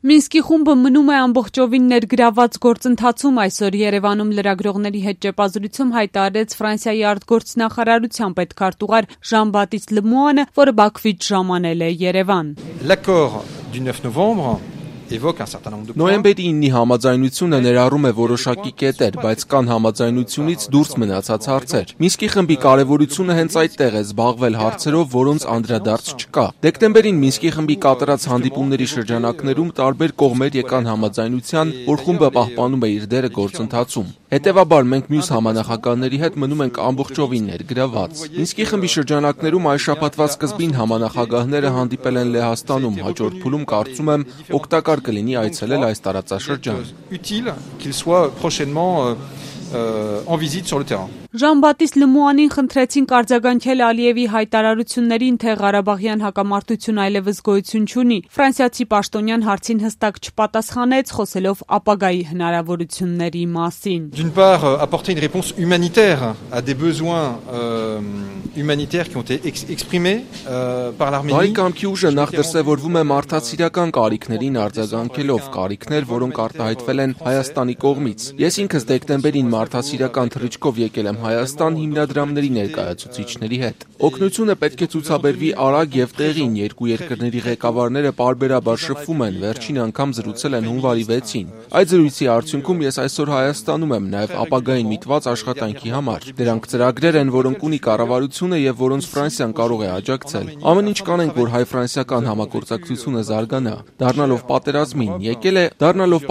Մինսկի խումբը մնում է ամբողջովին ներգրաված գործընթացում։ Այսօր Երևանում լրագրողների հետ ճեպազրույցում հայտարարեց Ֆրանսիայի արտգործնախարարության պետքարտուղար Ժան-Բատիստ Լեմուանը, որը Բաքվից ժամանել է Երևան։ L'accord du 9 novembre évoque un certain nombre de points. Նոյեմբերի 9-ի համաձայնությունը ներառում է որոշակի կետեր, բայց կան համաձայնությունից դուրս մնացած հարցեր։ Մինսկի խմբի կարևորությունը հենց այդտեղ է զբաղվել հարցերով, որոնց անդրադարձ չկա։ Դեկտեմբերին Մինսկի խմբի կատարած հանդիպումների շրջանակներում տարբեր կողմեր եկան համաձայնության, որ խումբը պահպանում է իր դերը գործընթացում։ Հետևաբար մենք մյուս համանախագահների հետ մնում ենք ամբողջովին ներգրաված։ Մինսկի խմբի շրջանակներում այս շաբաթվա սկզբին համանախագահները հանդիպել են Լեհաստանում, հաջորդ փուլում կարծում եմ օգտակար կլինի այցելել այս տարածաշրջան։ Utile qu'il soit prochainement en visite sur le terrain. Ժան-Բատիստ Լեմուանին խնդրեցին արձագանքել Ալիևի հայտարարություններին, թե Ղարաբաղյան հակամարտություն այլևս գոյություն չունի։ Ֆրանսիացի պաշտոնյան հարցին հստակ չպատասխանեց, խոսելով ապագայի հնարավորությունների մասին։ D'une part, apporter une réponse humanitaire à des besoins humanitaires qui ont été exprimés par l'Arménie. Բարի կամքի ուժը նախ դրսևորվում է մարդասիրական կարիքներին արձագանքելով, կարիքներ, որոնք արտահայտվել են Հայաստանի կողմից։ Ես ինքս դեկտեմբերին մարդասիրական թռիչքով եկել եմ Հայաստան հիմնադրամների ներկայացուցիչների հետ։ Օգնությունը պետք է ցուցաբերվի արագ եւ տեղին, երկու երկրների ղեկավարները պարբերաբար շփվում են, վերջին անգամ զրուցել են հունվարի 6-ին։ Այդ զրույցի արդյունքում ես այսօր Հայաստանում եմ, նաեւ ապագային միտված աշխատանքի համար։ Դրանք ծրագրեր են, որոնք ունի կառավարությունը եւ որոնց Ֆրանսիան կարող է աջակցել։ Ամեն ինչ կանենք, որ հայ-ֆրանսիական համագործակցությունը զարգանա։ Դառնալով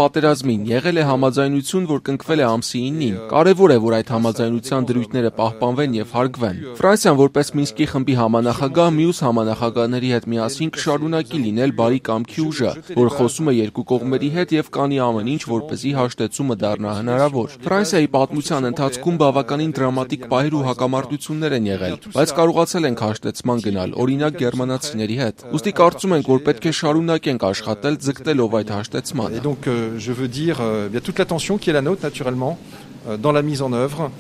պատերազմին, եղել է համաձայնություն, որ կնքվել է ամսի 9-ին։ Կարևոր է, որ այդ համաձայնության դրույթները պահպանվեն եւ հարգվեն։ Ֆրանսիան որպես Մինսկի խմբի համանախագահ մյուս համանախագահների հետ միասին կշարունակի լինել բարի կամքի ուժը, որ խոսում է երկու կողմերի հետ եւ կանի ամեն ինչ, որպեսզի հաշտեցումը դառնա հնարավոր։ Ֆրանսիայի պատմության ընթացքում բավականին դրամատիկ պահեր ու հակամարտություններ են եղել, բայց կարողացել ենք հաշտեցման գնալ, օրինակ գերմանացիների հետ։ Ուստի կարծում ենք, որ պետք է շարունակենք աշխատել ձգտելով այդ հաշտեցմանը։ Et donc je veux dire bien toute l'attention qui est la nôtre naturellement dans la mise en œuvre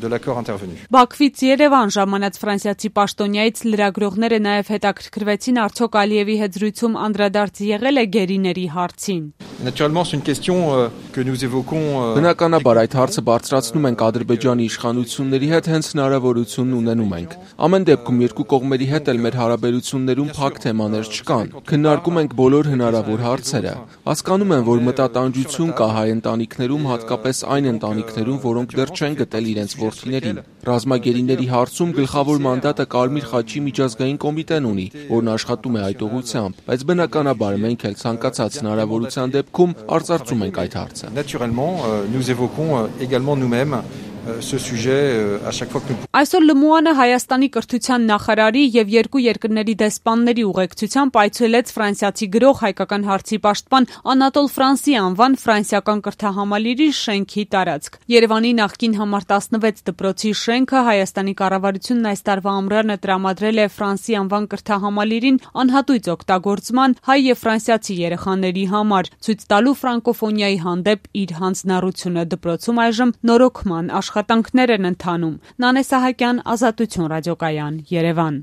de l'accord intervenu. Բաքվից Երևան ժամանած ֆրանսիացի պաշտոնյայից լրագրողները նաև հետաքրքրվեցին արդյոք Ալիևի հետ զրույցում անդրադարձ եղել է գերիների հարցին։ Naturellement c'est une question que nous évoquons. Բնականաբար այդ հարցը բարձրացնում ենք Ադրբեջանի իշխանությունների հետ, հենց հնարավորությունն ունենում ենք։ Ամեն դեպքում երկու կողմերի հետ էլ մեր հարաբերություններում փակ թեմաներ չկան։ Քննարկում ենք բոլոր հնարավոր հարցերը։ Հասկանում եմ, որ մտատանջություն կա հայ ընտանիքներում, հատկապես այն ընտանիքներում, որոնք դեռ չեն գտել իրենց որդիներին։ Ռազմագերիների հարցում գլխավոր մանդատը Կարմիր խաչի միջազգային կոմիտեն ունի, որն աշխատում է այդ ուղղությամբ, բայց բնականաբար մենք էլ ցանկացած հնարավորության դեպքում արծարծում ենք այդ հարցը։ Naturellement, nous évoquons également nous-mêmes ce sujet à chaque fois que nous. Այսօր Լեմուանը Հայաստանի կրթության նախարարի եւ երկու երկրների դեսպանների ուղեկցությամբ այցելեց ֆրանսիացի գրող, հայկական հարցի պաշտպան Անատոլ Ֆրանսի անվան ֆրանսիական կրթահամալիրի շենքի տարածք։ Երևանի նախկին համար 16 դպրոցի շենքը Հայաստանի կառավարությունն այս տարվա ամռանը տրամադրել է Ֆրանսի անվան կրթահամալիրին անհատույց օգտագործման հայ եւ ֆրանսիացի երեխաների համար, ցույց տալու ֆրանկոֆոնիայի հանդեպ իր հանձնառությունը։ Դպրոցում այժմ նորոգման աշխատանքներ են ընթանում։ Նանե Սահակյան, Ազատություն ռադիոկայան, Երևան։